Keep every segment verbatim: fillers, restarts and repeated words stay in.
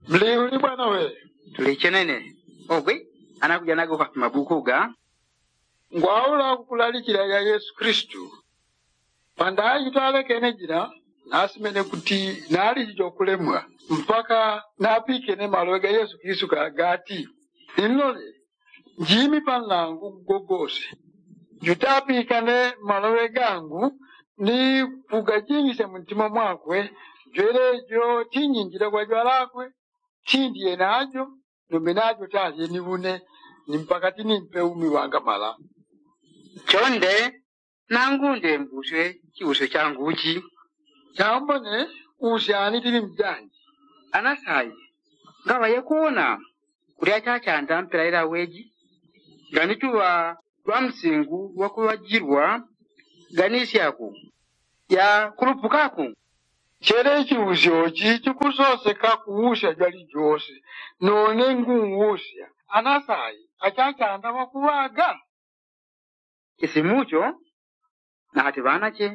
Mliuli bwana we. Tulichenene. Ogwi anakuja nago kwa mabuku ga ngwaula kukulalikila ya yesu kristu. Pandaji twalekene jila nasimene kuti naliji jokulemwa mpaka napikene malowe ga yesu kristu gati, inlole njimi panlangu gogose. Jutapikane malowe gangu ni kugajingisya muntima mwakwe. Jwelejo tinyinjila kwa jwalakwe tindye najo. Numbe najo talye ni une ni mpaka tinimpe umi wangamala. Chonde nangu ndembuswe chiusyo changu chi. Chambone usyani tili mjanji. Anasayi ngaŵaye kuona kuti achachanda mpela ila weji ganituŵa lwa msingu wakuŵajilwa ganisyaku ya kulupukaku. Chele chiusyo chi chikusoseka kuusya jwalijose. None nguusya anasayi achachanda wakuŵaga. Chisimucho nahati ŵanache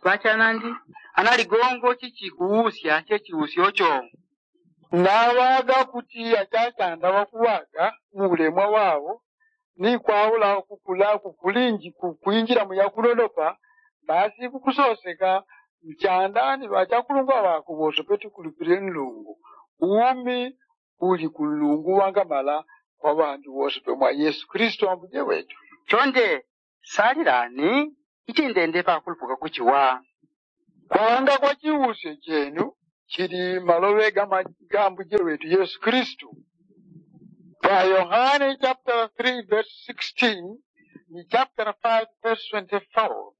ŵachanandi analigongo chichikuusya chechiusyocho. Naŵaga kuti achachanda wakuŵaga muulemwa wawo ni kwaula kukula kukulinji kukwinjila muyakunonopa. Basi kukusoseka mchanda ni ŵachakulungwa ŵakwe wose peti kulupile nlungu umi uli kunlungu wangamala kwa ŵandu wose pemwa yesu kristu ambuje wetu. Chonde salilani ichi ndende pakulupuka kuchiwa. Kwanga kwa chiusyo chenu chili maloŵe ga mambuje wetu yesu kristu. Pa yohane chaputala three vesi sixteen ni chaputala five vesi twenty four.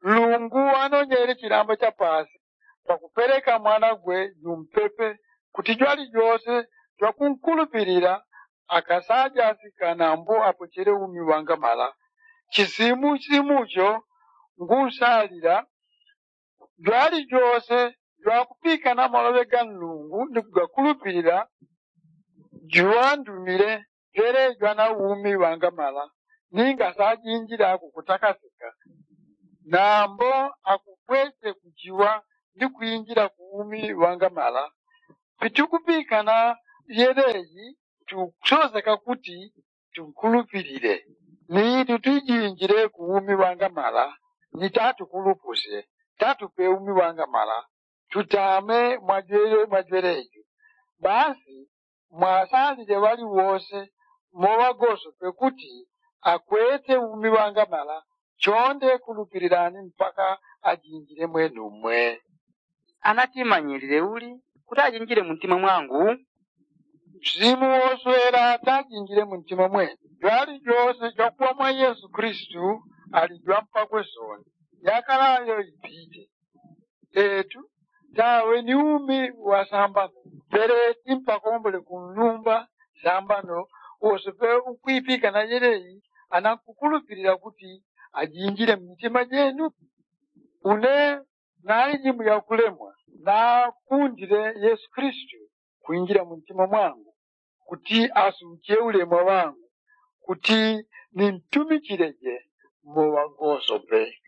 Nlungu anonyele chilamba cha pasi pakupeleka mwanagwe jumpepe kuti jwalijose jwakunkulupilila akasajasika nambo apochele umi wangamala. Chisimusimucho ngusalila jwalijose jwakupikana maloŵe ga nlungu ni kugakulupilila juŵandumile jwelejwa na umi wangamala. Ninga sajinjila kukutakasika nambo akupwese kuchiwa ni kwinjila ku umi wangamala. Pitukupikana yeleji tukusoseka kuti tunkulupilile ni tutijinjile ku umi wangamala ni tatukulupusye tatupe umi wangamala. Tutame mwajwelejo basi mwasalile ŵaliwose moŵagosope kuti akwete umi wangamala. Chonde kulupililani mpaka ajinjile mwenumwe. Anatimanyilile uli kuti ajinjile muntima mwangu? Msimu woswela tajinjile muntima mwenu jwalijose jwakuŵa mwa yesu kristu ali jwampakwe soni. Yakalayo ipite etu tawe ni umi wa sambano. Peleti mpakombole kunlumba sambano wose pe ukwipika na yelei anankukulupilila kuti ajinjile mmitima jenu. Une nali jimu yakulemwa nakundile yesu kristu kwinjila muntima mwangu kuti asuche ulemwa wangu kuti nintumichileje moŵagosope.